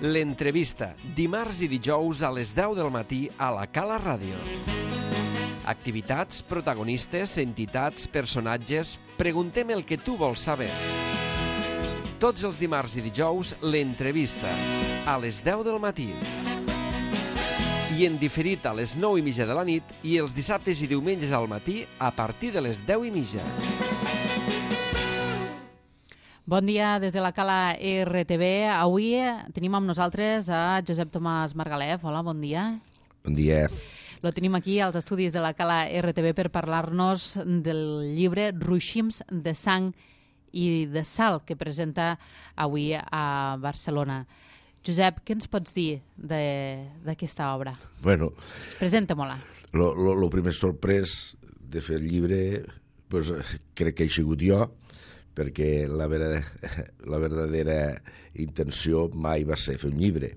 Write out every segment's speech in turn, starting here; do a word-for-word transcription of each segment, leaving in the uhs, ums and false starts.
L'entrevista, dimarts i dijous a les deu del matí a la Cala Ràdio. Activitats, protagonistes, entitats, personatges... Preguntem el que tu vols saber. Tots els dimarts i dijous, l'entrevista, a les deu del matí. I en diferit a les nou i mitja de la nit i els dissabtes i diumenges al matí a partir de les deu i mitja. Bon dia des de la Cala R T V. Avui tenim amb nosaltres a Josep Tomàs Margalef. Hola, bon dia. Bon dia. Lo tenim aquí als estudis de la Cala R T V per parlar-nos del llibre Ruixins de sang i de sal que presenta avui a Barcelona. Josep, què ens pots dir d'aquesta obra? Bueno, presenta-me-la. Lo, lo, lo primer sorprès de fer el llibre pues, crec que he sigut jo, perquè la, vera, la verdadera intenció mai va ser fer un llibre.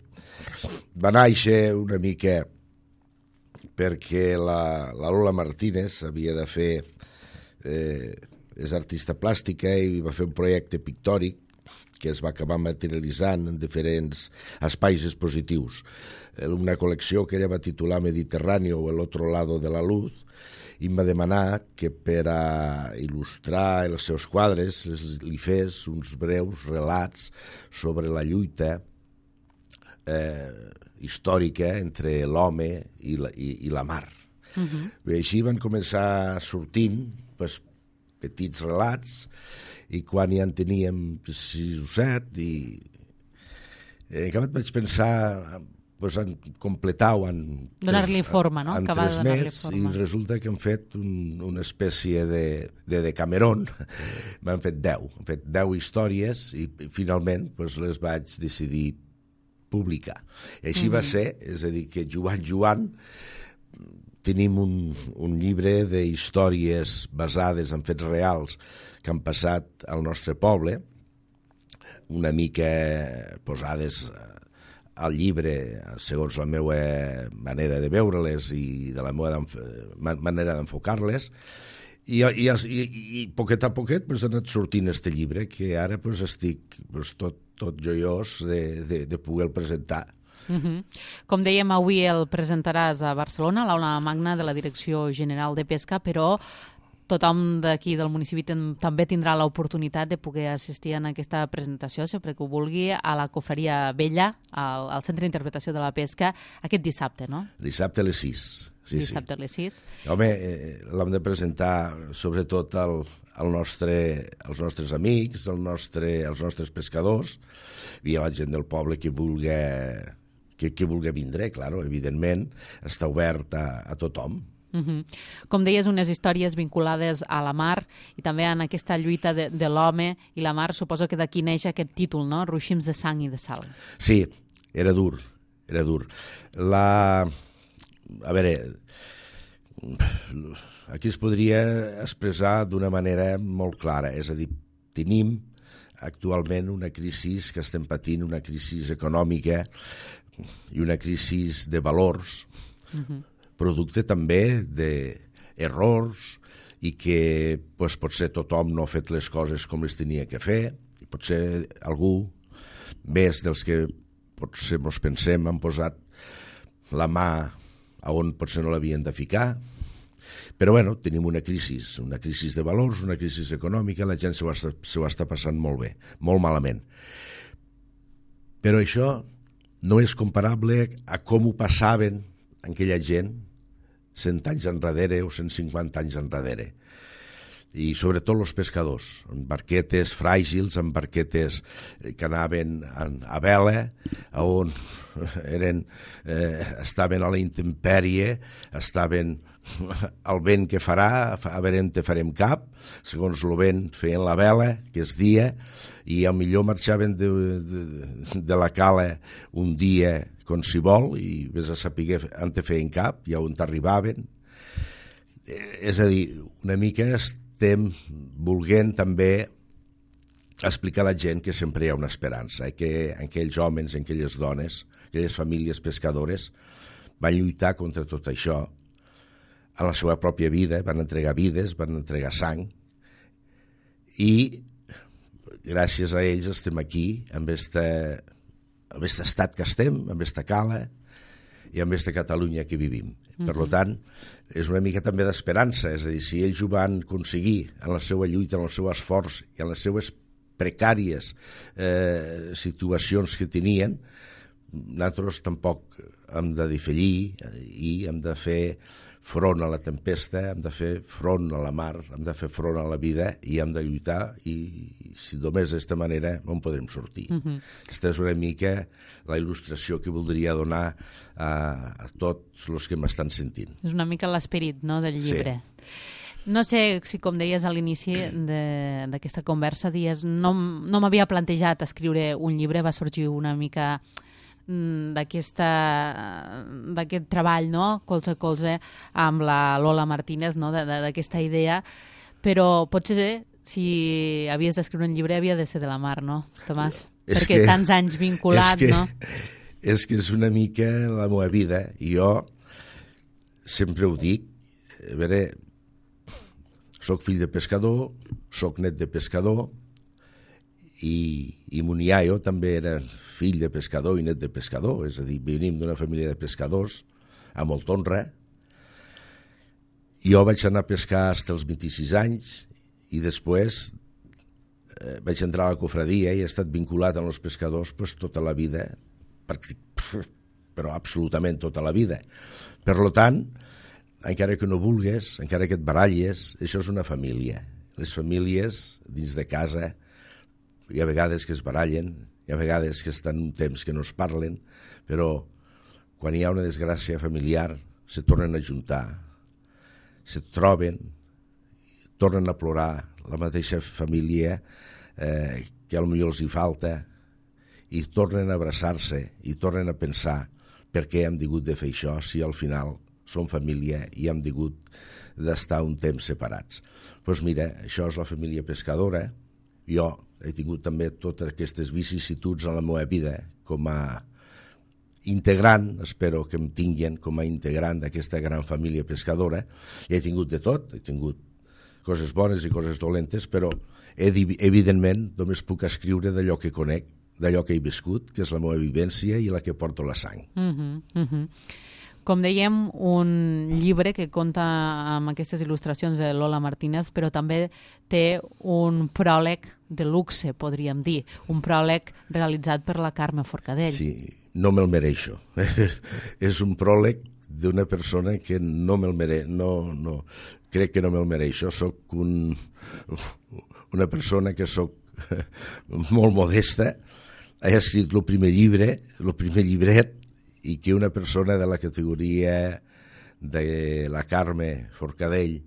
Va néixer una mica perquè la, la Lola Martínez havia de fer... Eh, és artista plàstica i va fer un projecte pictòric que es va acabar materialitzant en diferents espais expositius. Una col·lecció que ella va titular Mediterráneo o el otro lado de la luz, i em va demanar que per a il·lustrar els seus quadres li fes uns breus relats sobre la lluita eh, històrica entre l'home i la, i, i la mar. Uh-huh. I així van començar sortint pues, petits relats, i quan ja en teníem sis o set, i en acabat vaig pensar pues, en completar-ho en... Donar-li forma, no? En tres més, i resulta que han fet un, una espècie de, de Decameron. M'han fet deu. Han fet deu històries i finalment pues, les vaig decidir publicar. I així mm-hmm. va ser, és a dir, que jugant, jugant, tenim un, un llibre d'històries basades en fets reals que han passat al nostre poble, una mica posades al llibre segons la meva manera de veure-les i de la meva manera d'enfocar-les, i, i, i, i poquet a poquet pues, ha anat sortint este llibre, que ara pues, estic pues, tot, tot joiós de, de, de poder-lo presentar. Uh-huh. Com dèiem, avui el presentaràs a Barcelona, a l'aula magna de la Direcció General de Pesca, però tothom d'aquí del municipi ten, també tindrà l'oportunitat de poder assistir a aquesta presentació, sempre que ho vulgui, a la Cofreria Vella, al, al Centre d'Interpretació de la Pesca, aquest dissabte, no? Dissabte a les sis. Sí, dissabte sí. a les sis. Home, eh, l'hem de presentar sobretot al, al nostre, als nostres amics, al nostre, als nostres pescadors i a la gent del poble que vulgui... que, que vulgui vindre, claro, evidentment, està obert a, a tothom. Uh-huh. Com deies, unes històries vinculades a la mar i també en aquesta lluita de, de l'home i la mar, suposo que d'aquí neix aquest títol, no? Ruixins de sang i de sal. Sí, era dur, era dur. La... A veure, aquí es podria expressar d'una manera molt clara, és a dir, tenim actualment una crisi que estem patint, una crisi econòmica i una crisi de valors, uh-huh. producte també d'errors i que pues, potser tothom no ha fet les coses com les tenia que fer, i potser algú més dels que potser ens pensem han posat la mà a on potser no l'havien de ficar. Però bueno, tenim una crisi, una crisi de valors, una crisi econòmica, la gent s'ho està, s'ho està passant molt bé, molt malament. Però això no és comparable a com ho passaven aquella gent cent anys enrere o cent cinquanta anys enrere. I sobretot els pescadors, en barquetes fràgils, en barquetes que anaven a vela, on eren, eh, estaven a la intempèrie, estaven al vent que farà, a veure on te farem cap, segons el vent feien la vela, que és dia, i a millor marxaven de, de, de la cala un dia com si vol, i vés a saber on te feien cap, i on t'arribaven. És a dir, una mica estem volent també explicar a la gent que sempre hi ha una esperança, eh? Que aquells homes, aquelles dones, aquelles famílies pescadores van lluitar contra tot això a la seva pròpia vida, van entregar vides, van entregar sang, i gràcies a ells estem aquí amb aquesta amb aquest estat que estem, amb aquesta cala i amb aquesta Catalunya que vivim. Mm-hmm. Per tant, és una mica també d'esperança, és a dir, si ells ho van aconseguir en la seva lluita, en el seu esforç i en les seues precàries eh, situacions que tenien, nosaltres tampoc hem de defallir i hem de fer front a la tempesta, hem de fer front a la mar, hem de fer front a la vida i hem de lluitar i si només d'esta manera no en podrem sortir. Uh-huh. Aquesta és una mica la il·lustració que voldria donar a, a tots els que m'estan sentint. És una mica l'esperit, no?, del llibre. Sí. No sé si, com deies a l'inici d'aquesta conversa, dies, no, no m'havia plantejat escriure un llibre, va sorgir una mica d'aquest treball, no?, colze a colze amb la Lola Martínez, no?, d'aquesta idea, però potser si havies d'escriure un llibre havia de ser de la mar, no, Tomàs? És perquè que, tants anys vinculat, és que, no? És que és una mica la meva vida i jo sempre ho dic, a veure, soc fill de pescador, soc net de pescador, i, i mon iaio també era fill de pescador i net de pescador, és a dir, venim d'una família de pescadors a molta honra. Jo vaig anar a pescar fins als vint-i-sis anys i després eh, vaig entrar a la cofradia i he estat vinculat amb els pescadors pues, tota la vida, però absolutament tota la vida. Per tant, encara que no vulgues, encara que et baralles, això és una família. Les famílies dins de casa hi ha vegades que es barallen, hi ha vegades que estan un temps que no es parlen, però quan hi ha una desgràcia familiar se tornen a juntar, se troben, tornen a plorar la mateixa família eh, que potser els hi falta i tornen a abraçar-se i tornen a pensar per què hem hagut de fer això si al final som família i hem hagut d'estar un temps separats. Doncs mira, això és la família pescadora. Jo he tingut també totes aquestes vicissituds en la meva vida com a integrant, espero que em tinguin com a integrant d'aquesta gran família pescadora, i he tingut de tot, he tingut coses bones i coses dolentes, però evidentment només puc escriure d'allò que conec, d'allò que he viscut, que és la meva vivència i la que porto la sang. Uh-huh, uh-huh. Com dèiem, un llibre que compta amb aquestes il·lustracions de Lola Martínez, però també té un pròleg de luxe, podríem dir, un pròleg realitzat per la Carme Forcadell. Sí, no me'l mereixo. És un pròleg d'una persona que no me'l mereixo, no, no, crec que no me'l mereixo. Soc un, una persona que soc molt modesta, he escrit el primer llibre, el primer llibret, i que una persona de la categoria de la Carme Forcadell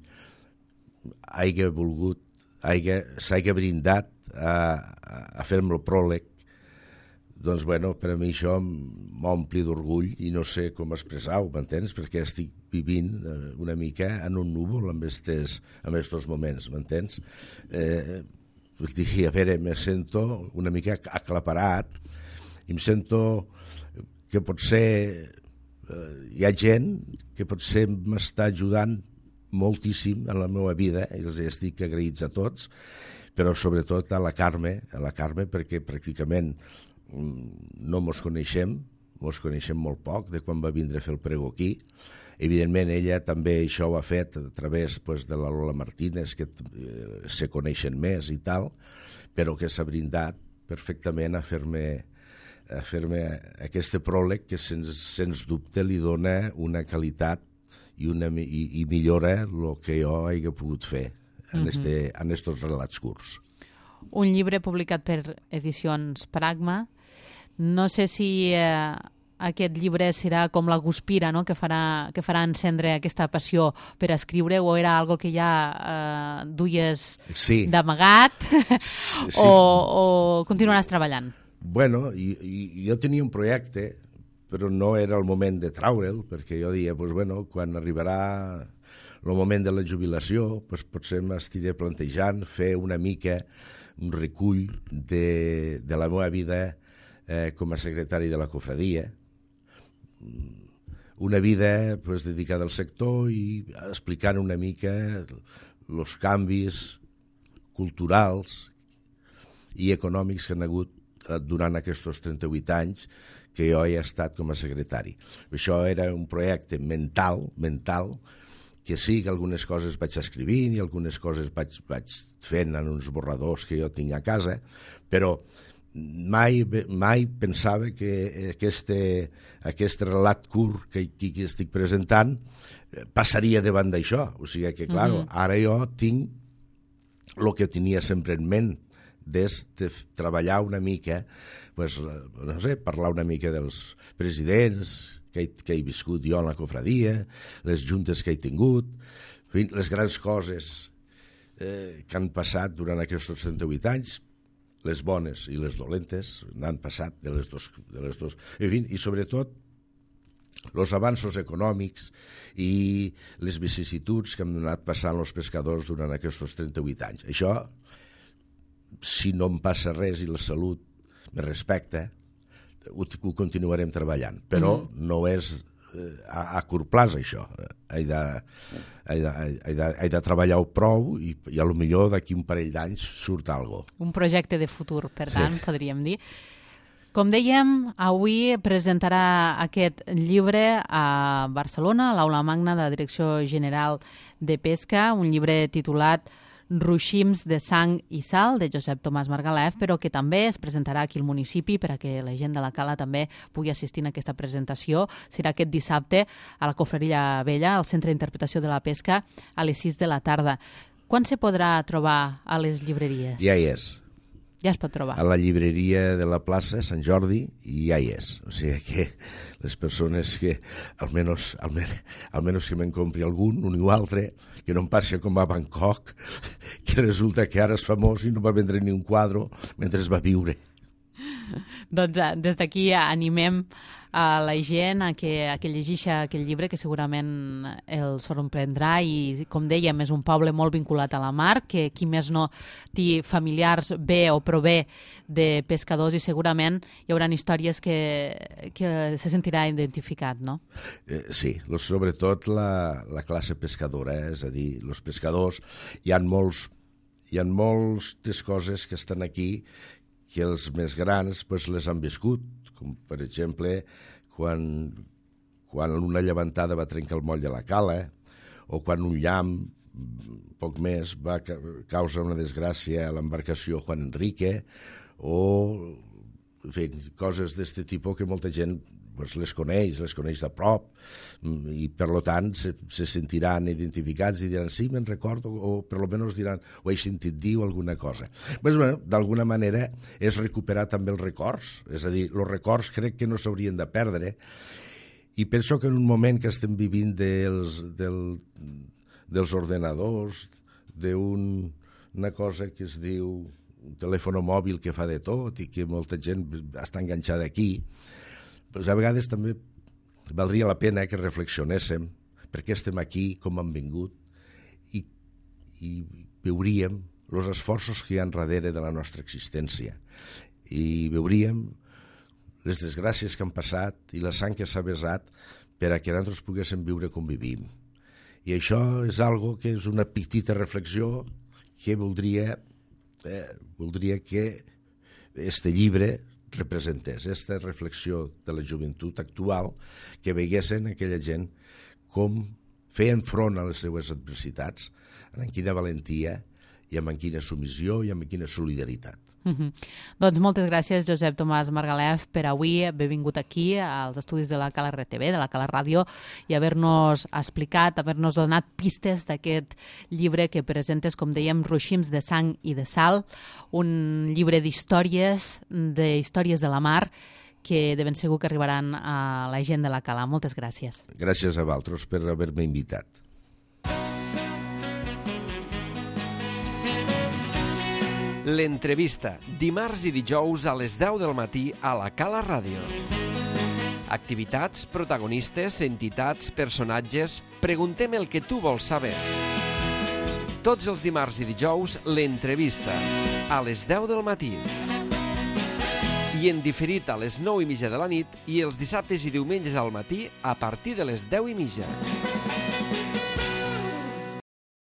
hagi volgut, s'hagi brindat a, a fer-me el pròleg, doncs, bueno, per a mi això m'ompli d'orgull i no sé com expressar-ho, m'entens? Perquè estic vivint una mica en un núvol en aquests moments, m'entens? Eh, vull dir, a veure, me sento una mica aclaparat i em sento que potser eh, hi ha gent que potser m'està ajudant moltíssim en la meva vida, i els estic agraïts a tots, però sobretot a la Carme, a la Carme perquè pràcticament no mos coneixem, mos coneixem molt poc de quan va vindre a fer el prego aquí. Evidentment ella també això ho ha fet a través pues, de la Lola Martínez, que eh, se coneixen més i tal, però que s'ha brindat perfectament a fer-me a fer-me aquest pròleg que sens, sens dubte li dona una qualitat i, una, i, i millora el que jo hagi pogut fer en aquests uh-huh. relats curts. Un llibre publicat per Edicions Pragma. No sé si eh, aquest llibre serà com la guspira, no?, que farà, que farà encendre aquesta passió per escriure, o era algo que ja eh, duies sí. d'amagat sí. o, o continuaràs treballant? Bueno, i, i, jo tenia un projecte, però no era el moment de traure'l, perquè jo deia, pues, bueno, quan arribarà el moment de la jubilació, pues, potser m'estiré plantejant fer una mica un recull de, de la meva vida eh, com a secretari de la cofradia, una vida pues, dedicada al sector i explicant una mica els canvis culturals i econòmics que han hagut durant aquests trenta-vuit anys que jo he estat com a secretari. Això era un projecte mental, mental, que sí que algunes coses vaig escrivint i algunes coses vaig, vaig fent en uns borradors que jo tinc a casa, però mai, mai pensava que este, aquest relat curt que, que estic presentant passaria davant d'això. O sigui que, clar, mm-hmm. ara jo tinc el que tenia sempre en ment, des de treballar una mica, pues, no sé, parlar una mica dels presidents que he, que he viscut jo en la cofradia, les juntes que he tingut, les grans coses eh, que han passat durant aquests trenta-vuit anys, les bones i les dolentes, n'han passat de les dos, de les dos. En fi, i sobretot els avanços econòmics i les vicissituds que han anat passant els pescadors durant aquests trenta-vuit anys. Això, si no em passa res i la salut me respecta, ho, ho continuarem treballant. Però mm-hmm. no és eh, a, a curt plaç, això. He de, he de, he de, he de treballar-ho prou i, i a lo millor d'aquí un parell d'anys surt alguna cosa. Un projecte de futur, per tant, sí. podríem dir. Com dèiem, avui presentarà aquest llibre a Barcelona, a l'Aula Magna de la Direcció General de Pesca, un llibre titulat Ruixims de sang i sal, de Josep Tomàs Margalef, però que també es presentarà aquí al municipi per a que la gent de la Cala també pugui assistir a aquesta presentació. Serà aquest dissabte a la Cofreria Vella, al Centre d'Interpretació de la Pesca, a les sis de la tarda. Quan se podrà trobar a les llibreries? Ja hi és. Ja es pot trobar. A la llibreria de la plaça Sant Jordi i ja hi és. O sigui que les persones que, almenys, almenys, almenys que me'n compri algun, un o altre, que no em passi com a Bangkok, que resulta que ara és famós i no va vendre ni un quadre mentre es va viure. Doncs des d'aquí animem a la gent a que, a que llegeixi aquell llibre, que segurament el sorprendrà, i com dèiem, és un poble molt vinculat a la mar, que qui més no té familiars bé o prové de pescadors, i segurament hi haurà històries que, que se sentirà identificat, no? Eh, sí, sobretot la, la classe pescadora, eh? És a dir, els pescadors, hi ha molts, hi ha moltes coses que estan aquí que els més grans pues, les han viscut, com per exemple quan, quan una llevantada va trencar el moll de la Cala, o quan un llamp, poc més, va causar una desgràcia a l'embarcació Juan Enrique, o en fi, coses d'aquest tipus que molta gent pues, les coneix, les coneix de prop, i per tant se, se sentiran identificats i diran sí, me'n recordo, o per almenys diran ho he sentit dir o alguna cosa. Pues, bueno, d'alguna manera és recuperar també els records, és a dir, els records crec que no s'haurien de perdre, i penso que en un moment que estem vivint dels, del, dels ordenadors, d'una cosa que es diu un telèfon mòbil que fa de tot i que molta gent està enganxada aquí, pues a vegades també valdria la pena que reflexionéssim per què estem aquí, com hem vingut, i, i veuríem els esforços que hi ha darrere de la nostra existència. I veuríem les desgràcies que han passat i la sang que s'ha vessat per a que nosaltres poguéssim viure com vivim. I això és algo que és una petita reflexió que voldria, eh, voldria que este llibre representés, aquesta reflexió de la joventut actual, que veiguessin aquella gent com feien front a les seues adversitats, amb quina valentia i amb quina submissió i amb quina solidaritat. Mm-hmm. Doncs moltes gràcies, Josep Tomàs Margalef, per avui haver vingut aquí als estudis de la Cala R T V, de la Cala Ràdio, i haver-nos explicat, haver-nos donat pistes d'aquest llibre que presentes, com dèiem, Ruixims de sang i de sal, un llibre d'històries, d'històries de la mar, que de ben segur que arribaran a la gent de la Cala. Moltes gràcies. Gràcies a vosaltres per haver-me invitat. L'entrevista, dimarts i dijous a les deu del matí a la Cala Ràdio. Activitats, protagonistes, entitats, personatges... Preguntem el que tu vols saber. Tots els dimarts i dijous, l'entrevista, a les deu del matí. I en diferit a les nou i mitja de la nit i els dissabtes i diumenges al matí a partir de les deu i mitja.